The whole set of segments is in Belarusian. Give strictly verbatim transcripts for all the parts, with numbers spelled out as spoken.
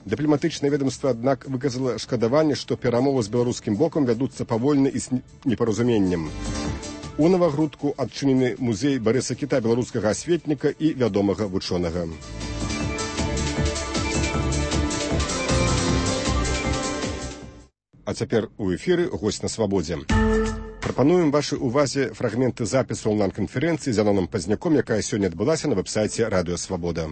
Дыпламатычнае ведомства, аднак, выказала шкадаванне, што перамовы з беларускім бокам вядуцца павольна і з непаразуменнем. У Навагрудку адчынены музей Барыса Кіта, беларускага асветніка і вядомага вучонага. А цяпер у эфіры госць на свабодзе. Прапануем вашай увазе фрагменты запісу онлайн-канферэнцыі з Янонам Пазняком, якая сёння адбылася на вэб-сайце Радыё Свабода.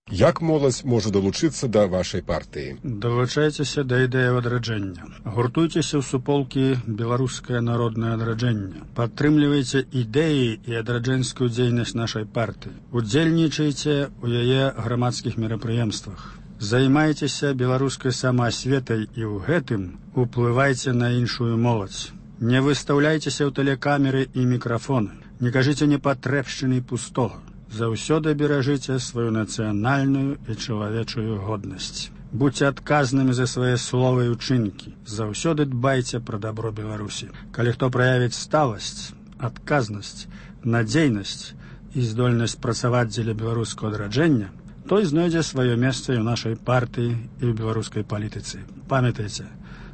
Як моладзь можа далучыцца да вашай партыі? Далучайцеся да ідэі адраджэння. Гуртуйцеся ў суполкі «Беларускае народнае адраджэнне». Падтрымлівайце ідэі і адраджэнскую дзейнасць нашай партыі. Удзельнічайце ў яе грамадскіх мерапрыемствах. Займайцеся беларускай самаасветай і ў гэтым уплывайце на іншую моладзь. Не выстаўляйцеся ў тэлекамеры і мікрафоны. Не кажыце непатрэбшчыны пустога. Заўсёды беражыце сваю нацыянальную і чалавечую годнасць. Будьце адказнымі за свае словы і ўчынкі. Заўсёды дбайце пра дабро Беларусі. Калі хто праявіць сталасць, адказнасць, надзейнасць і здольнасць працаваць дзеля беларускага адраджэння, той знойдзе сваё месца і ў нашай партыі і ў беларускай палітыцы. Памятайце,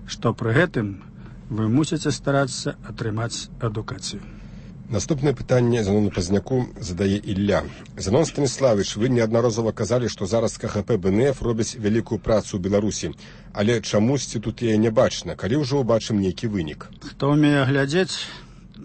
што пры гэтым вы мусіце старацца атрымаць адукацыю. Наступнае пытанне Занону Пазняку задае Ілля. Занон Станіславович, вы неаднаразова казалі, што зараз КХП БНФ робяць вялікую працу ў Беларусі, але чамусьці тут яе не бачна, калі ўжо ўбачым нейкі вынік. Хто ўмее глядзець,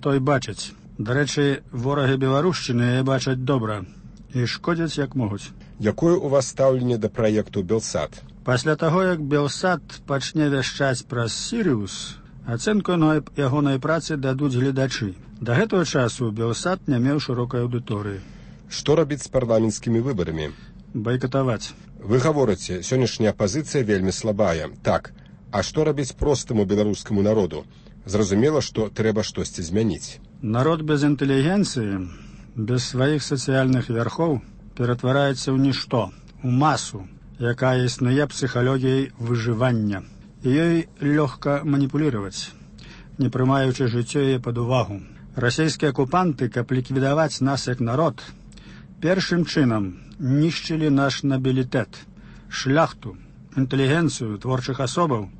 той бачыць. Дарэчы, ворагі беларушчыны яе бачаць добра і шкодзяць як могуць. Якое у вас стаўленне да праекту Белсат? Пасля таго, як Белсат пачне вяшчаць праз Сірыус, ацэнку ягонай працы дадуць гледачы. Да гэтага часу Белсат не меў шырокай аўдыторыі. Што рабіць з парламенцкімі выбарамі? Байкатаваць. Вы гаворыце, сённяшняя апазіцыя вельмі слабая. Так, а што рабіць простаму беларускаму народу? Зразумела, што трэба штосьці змяніць. Народ без інтэлігенцыі, без сваіх сацыяльных вярхоў ператвараецца ў нішто, у масу, якая існуе псіхалогіяй выжывання. І ёй лёгка маніпуліраваць, не прымаючы жыццё яе пад увагу. Расійскія акупанты, каб ліквідаваць нас як народ, першым чынам нішчылі наш набілітэт, шляхту, інтэлігенцыю творчых асобаў,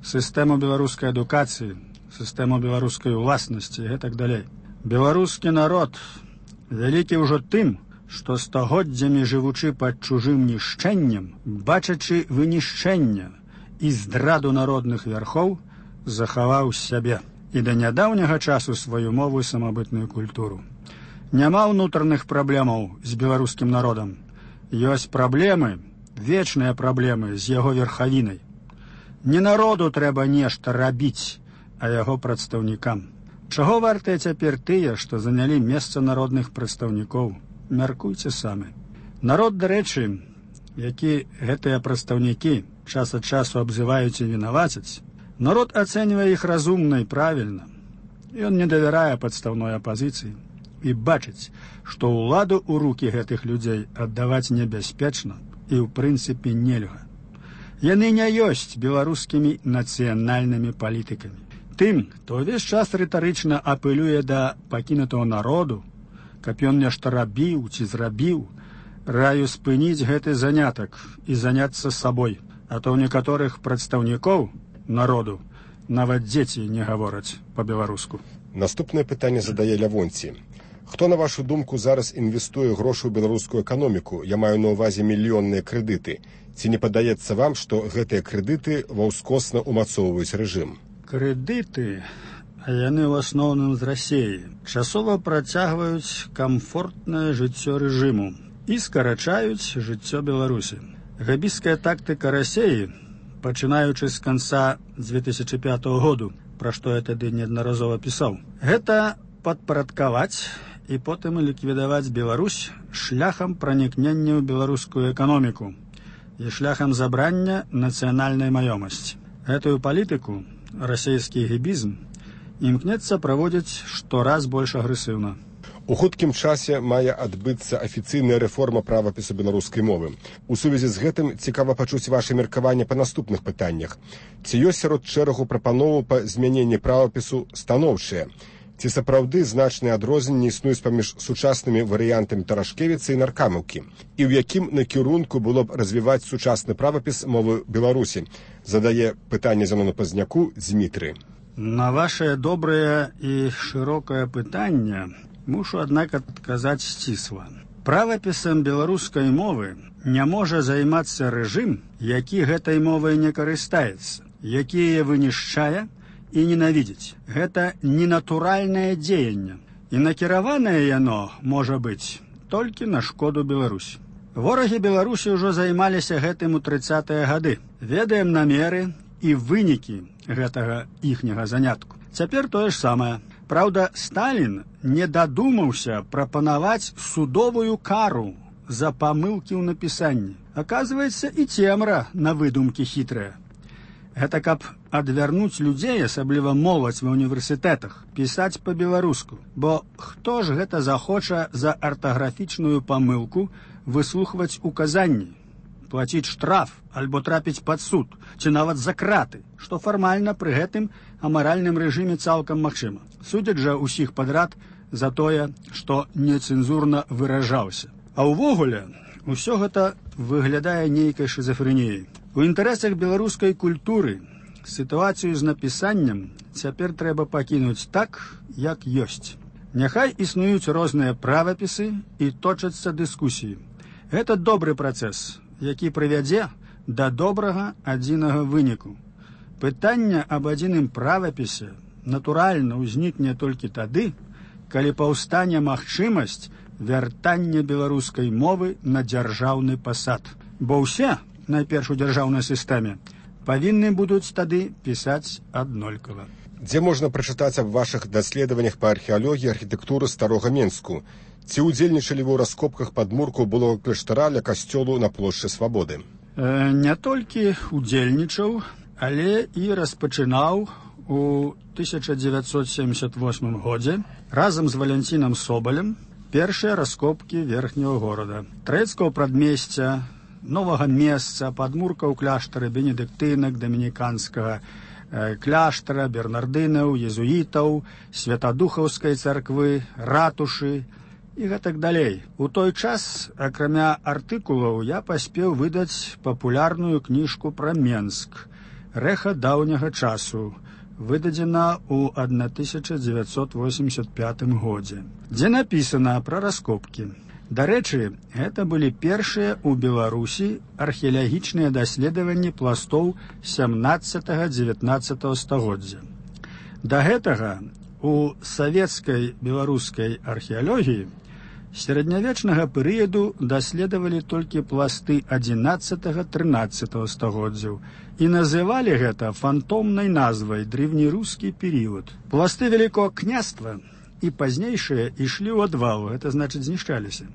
сістэму беларускай адукацыі, сістэму беларускай уласнасці і гэтак далей. Беларускі народ вялікі ўжо тым, што стагоддзямі жывучы пад чужым нішчэннем, бачачы вынішчэнне і здраду народных вярхоў, захаваў сябе і да нядаўняга часу сваю мову і самабытную культуру. Няма ўнутраных праблемаў з беларускім народам. Ёсць праблемы, вечныя праблемы з яго верхавінай. Не народу трэба нешта рабіць, а яго прадстаўнікам. Чаго вартыя цяпер тыя, што занялі месца народных прадстаўнікоў? Мяркуйце самі. Народ, дарэчы, які гэтыя прадстаўнікі час ад часу абзываюць і вінавацяць, народ ацэньвае іх разумна і правільна. Ён не давярае падстаўной апазіцыі і бачыць, што ўладу ў рукі гэтых людзей аддаваць небяспечна і ў прынцыпе нельга. Яны не ёсць беларускімі нацыянальнымі палітыкамі. Тым, хто ўвесь час рытарычна апелюе да пакінутага народу, каб ён нешта рабіў ці зрабіў, раю спыніць гэты занятак і заняцца сабой, а то ў некаторых прадстаўнікоў народу нават дзеці не гавораць па-беларуску. Наступнае пытанне задае Лявонці. Хто, на вашу думку, зараз інвестуе грошы ў беларускую эканоміку? Я маю на ўвазе мільённыя крэдыты. Ці не падаецца вам, што гэтыя крэдыты ваўскосна ўмацоўваюць рэжым? Крэдыты, а яны ў асноўным з Расіі, часова працягваюць камфортнае жыццё рэжыму і скарачаюць жыццё Беларусі. Габійская тактыка Расіі, пачынаючы з канца дзве тысячы пятага году, пра што я тады неаднаразова пісаў, гэта падпарадкаваць і потым ліквідаваць Беларусь шляхам пранікнення ў беларускую эканоміку і шляхам забрання нацыянальнай маёмасці. Гэтую палітыку расійскі гібізм імкнецца праводзіць штораз больш агрэсіўна. У хуткім часе мае адбыцца афіцыйная рэформа правапісу беларускай мовы. У сувязі з гэтым цікава пачуць ваша меркаванне па наступных пытаннях. Ці ёсць сярод шэрагу прапановаў па змяненні правапісу станоўчыя? Ці сапраўды значныя адрозненні існуюць паміж сучаснымі варыянтамі Тарашкевіца і Наркамаўкі? І ў якім накірунку было б развіваць сучасны правапіс мовы Беларусі? Задае пытанне Зенону Пазняку Дзмітрый. На ваше добрае і шырокае пытанне мушу, аднак, адказаць сцісла. Правапісам беларускай мовы не можа займацца рэжым, які гэтай мовай не карыстаецца, які яе вынішчае і ненавідзіць. Гэта ненатуральнае дзеянне, і накіраванае яно можа быць толькі на шкоду Беларусі. Ворагі Беларусі ўжо займаліся гэтым у трыццатыя гады. Ведаем намеры і вынікі гэтага іхняга занятку. Цяпер тое ж самае. Праўда, Сталін не дадумаўся прапанаваць судовую кару за памылкі ў напісанні. Аказваецца, і цемра на выдумкі хітрыя. Гэта каб адвярнуць людзей, асабліва моладзь ва ўніверсітэтах, пісаць па-беларуску. Бо хто ж гэта захоча за артаграфічную памылку выслухваць указанні, плаціць штраф альбо трапіць пад суд, ці нават за краты, што фармальна пры гэтым амаральным рэжыме цалкам магчыма. Судзяць жа ўсіх падрад за тое, што нецэнзурна выражаўся. А ўвогуле, усё гэта выглядае нейкай шызафрэніяй. У інтарэсах беларускай культуры сітуацыю з напісаннем цяпер трэба пакінуць так, як ёсць. Няхай існуюць розныя правапісы і точацца дыскусіі. Гэта добры працэс, які прывядзе да добрага адзінага выніку. Пытанне аб адзіным правапісе натуральна ўзнікне толькі тады, калі паўстане магчымасць вяртання беларускай мовы на дзяржаўны пасад. Бо ўсе, найперш у дзяржаўнай сістэме, павінны будуць тады пісаць аднолькава. Дзе можна прачытаць аб вашых даследаваннях па археалогіі архітэктуры старога Менску? Ці ўдзельнічалі вы ў раскопках падмурку былога кляштара ля касцёлу на плошчы Свабоды? Э, не толькі ўдзельнічаў, але і распачынаў у тысяча дзевяцьсот семьдесят восьмым годзе разам з Валянцінам Собалем першыя раскопкі верхняга горада. Трэцкага прадмесця, новага месца, падмурка ў кляштары бенедыктынак, дамініканскага э, кляштара, бернардынаў, езуітаў, святадухаўскай царквы, ратушы і гэтак далей. У той час, акрамя артыкулаў, я паспеў выдаць папулярную кніжку пра Менск «Рэха даўняга часу», выдадзена ў тысяча дзевяцьсот восемьдесят пятым годзе, дзе напісана пра раскопкі. Дарэчы, гэта былі першыя ў Беларусі археалагічныя даследаванні пластоў сямнаццатага-дзевятнаццатага стагоддзя. Да гэтага у савецкай беларускай археалогіі сярэднявечнага перыяду даследавалі толькі пласты адзінаццатага-трынаццатага стагоддзяў і называлі гэта фантомнай назвай древнерускі перыяд. Пласты Вялікога княства і пазнейшыя ішлі ў адвал, гэта значыць знішчаліся.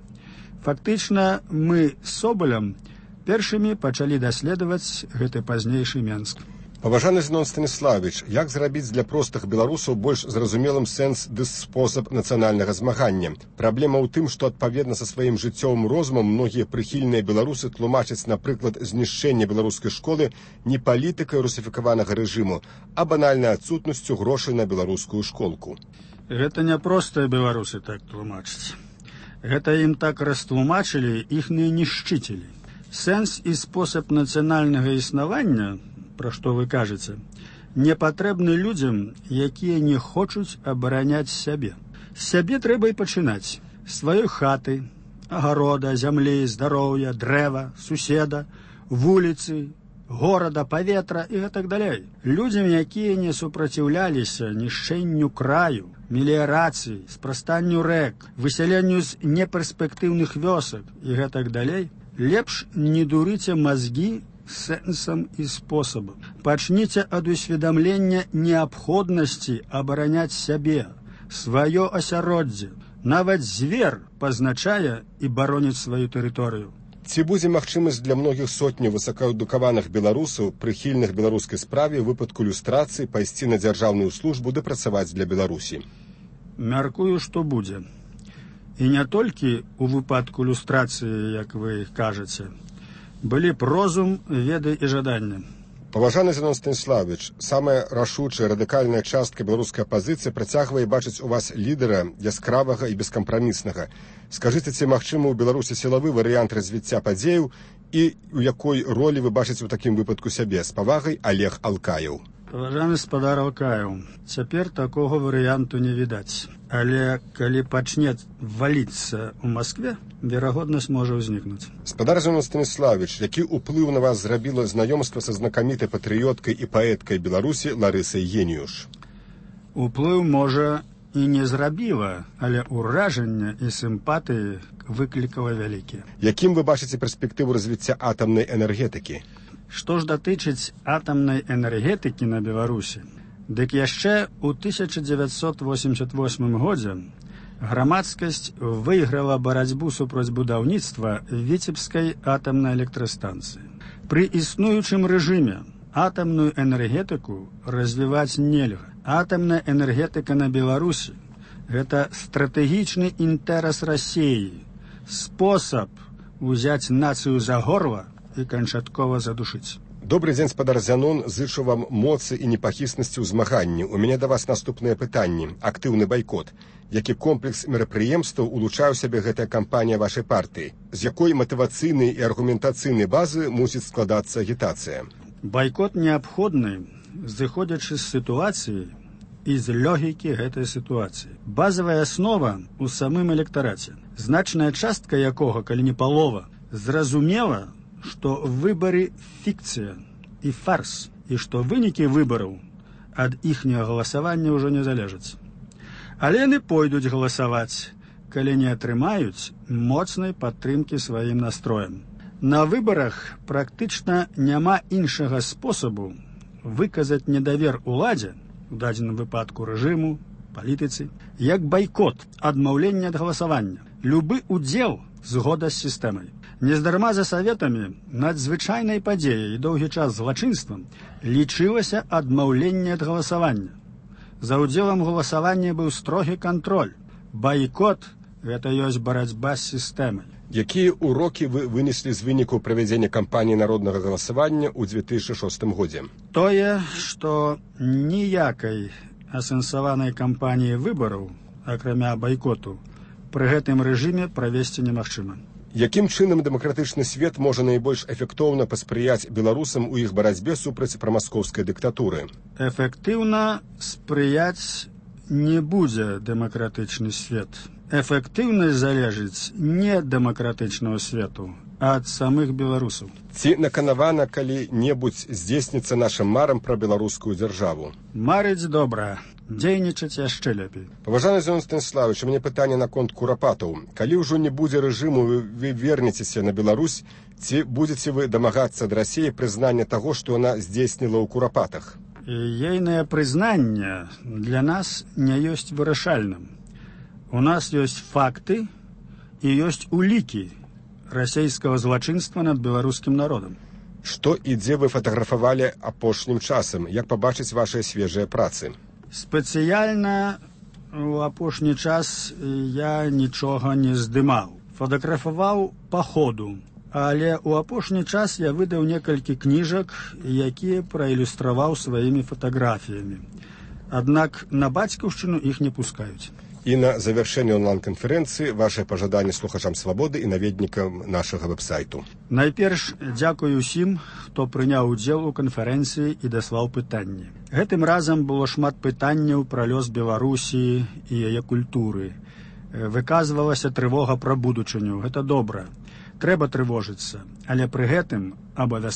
Фактычна мы з Собалем першымі пачалі даследаваць гэты пазнейшы Менск. Паважаны Зенон Станіславович, як зрабіць для простых беларусаў больш зразумелым сэнс ды спосаб нацыянальнага змагання? Праблема ў тым, што адпаведна са сваім жыццёвым розумам многія прыхільныя беларусы тлумачаць, напрыклад, знішчэнне беларускай школы не палітыкай русіфікаванага рэжыму, а банальнай адсутнасцю грошай на беларускую школку. Гэта не простыя беларусы так тлумачаць. Гэта ім так растлумачылі іхныя нішчыцелі. Сэнс і спосаб нацыянальнага існавання, пра што вы кажаце, не патрэбны людзям, якія не хочуць абараняць сябе. З сябе трэба і пачынаць. Сваёй хаты, агарода, зямлі, здароўя, дрэва, суседа, вуліцы, горада, паветра і гэтак далей. Людзям, якія не супраціўляліся нішчэнню краю, меліярацыі, спрастанню рэк, высяленню з неперспектыўных вёсак і гэтак далей, лепш не дурыце мазгі сэнсам і спосабам. Пачніце ад усведамлення неабходнасці абараняць сябе, сваё асяроддзе. Нават звер пазначае і бароніць сваю тэрыторыю. Ці будзе магчымасць для многіх сотняў высокаадукаваных беларусаў, прыхільных беларускай справе, у выпадку люстрацыі пайсці на дзяржаўную службу ды працаваць для Беларусі? Мяркую, што будзе. І не толькі ў выпадку люстрацыі, як вы кажаце. Былі б розум, веды і жаданне. Паважаны Зенон Станіславович, самая рашучая радыкальная частка беларускай апазіцыі працягвае бачыць у вас лідара яскравага і бескампраміснага. Скажыце, ці магчымы ў Беларусі сілавы варыянт развіцця падзеяў і у якой ролі вы бачыце ў такім выпадку сябе? З павагай, Олег Алкаеў. Паважаны спадар Алкаеў, цяпер такога варыянту не відаць. Але калі пачне валіцца ў Маскве, верагоднасць можа ўзнікнуць. Спадар Зенон Станіславович, які ўплыў на вас зрабіла знаёмства са знакамітай патрыёткай і паэткай Беларусі Ларысай Геніюш? Уплыў можа і не зрабіла, але ўражанне і сімпатыі выклікала вялікія. Якім вы бачыце перспектыву развіцця атамнай энергетыкі? Што ж датычыць атамнай энергетыкі на Беларусі, дык яшчэ ў тысяча дзевяцьсот восемьдесят восьмым годзе грамадскасць выйграла барацьбу супраць будаўніцтва Віцебскай атамнай электрастанцыі. Пры існуючым рэжыме атамную энергетыку развіваць нельга. Атамная энергетыка на Беларусі – гэта стратэгічны інтарэс Расіі, спосаб узяць нацыю за горла і канчаткова задушыць. Добрый дзень, спадар Зянон, зычу вам моцы і непахіснасці ў змаганні. У мяне да вас наступныя пытанні. Актыўны байкот. Які комплекс мерапрыемстваў улучшае ў сябе гэтая кампанія вашай партыі? З якой матывацыйнай і аргументацыйнай базы мусіць складацца агітацыя? Байкот неабходны, зыходзячы з сітуацыі і з логікі гэтай сітуацыі. Базавая аснова ў самым электараце, значная частка якога, калі не палова, зразумела, што выбары фікцыя і фарс, і што вынікі выбараў ад іхняга галасавання ўжо не залежаць. Але яны пойдуць галасаваць, калі не атрымаюць моцнай падтрымкі сваім настроем. На выбарах практычна няма іншага спосабу выказаць недавер уладзе, у дадзеным выпадку рэжыму, палітыцы, як байкот, адмаўленне ад галасавання. Любы удзел згода з сістэмай. Нездарма за саветамі надзвычайнай падзеяй і доўгі час злачынствам лічылася адмаўленне ад галасавання. За ўдзелам галасавання быў строгі кантроль. Байкот – гэта ёсць барацьба з сістэмай. Якія ўрокі вы вынеслі з вынікаў правядзення кампаніі народнага галасавання ў две тысячы шостым годзе? Тое, што ніякай асэнсаванай кампаніі выбараў, акрамя байкоту, пры гэтым рэжыме правесці немагчыма. Якім чынам дэмакратычны свет можа найбольш эфектыўна паспрыяць беларусам у іх барацьбе супраць прамаскоўскай дыктатуры? Эфектыўна спрыяць не будзе дэмакратычны свет. Эфектыўнасць залежыць не ад дэмакратычнага свету, а ад самых беларусаў. Ці наканавана калі-небудзь здзейсніцца нашым марам пра беларускую дзяржаву? Марыць добра, дзейнічаць яшчэ лепей. Паважаны Зенон Станіславович, у мяне пытанне наконт курапатаў. Калі ўжо не будзе рэжыму, вы, вы вернецеся на Беларусь, ці будзеце вы дамагацца ад Расіі прызнання таго, што яна здзейсніла ў курапатах? Ейнае прызнанне для нас не ёсць вырашальным. У нас ёсць факты і ёсць улікі расійскага злачынства над беларускім народам. Што і дзе вы фатаграфавалі апошнім часам? Як пабачыць вашыя свежыя працы? Спецыяльна у апошні час я нічога не здымаў. Фатаграфаваў па ходу. Але ў апошні час я выдаў некалькі кніжак, якія праілюстраваў сваімі фатаграфіямі. Аднак на бацькаўшчыну іх не пускаюць. І на завяршэнне онлайн-канферэнцыі вашае пажаданне слухачам свабоды і наведнікам нашага вэб-сайту. Найперш дзякую усім, хто прыняў удзел у канферэнцыі і даслаў пытанні. Гэтым разам было шмат пытанняў пра лёс Беларусі і яе культуры. Выказвалася трывога пра будучыню. Гэта добра. Трэба трывожыцца, але пры гэтым абавязкова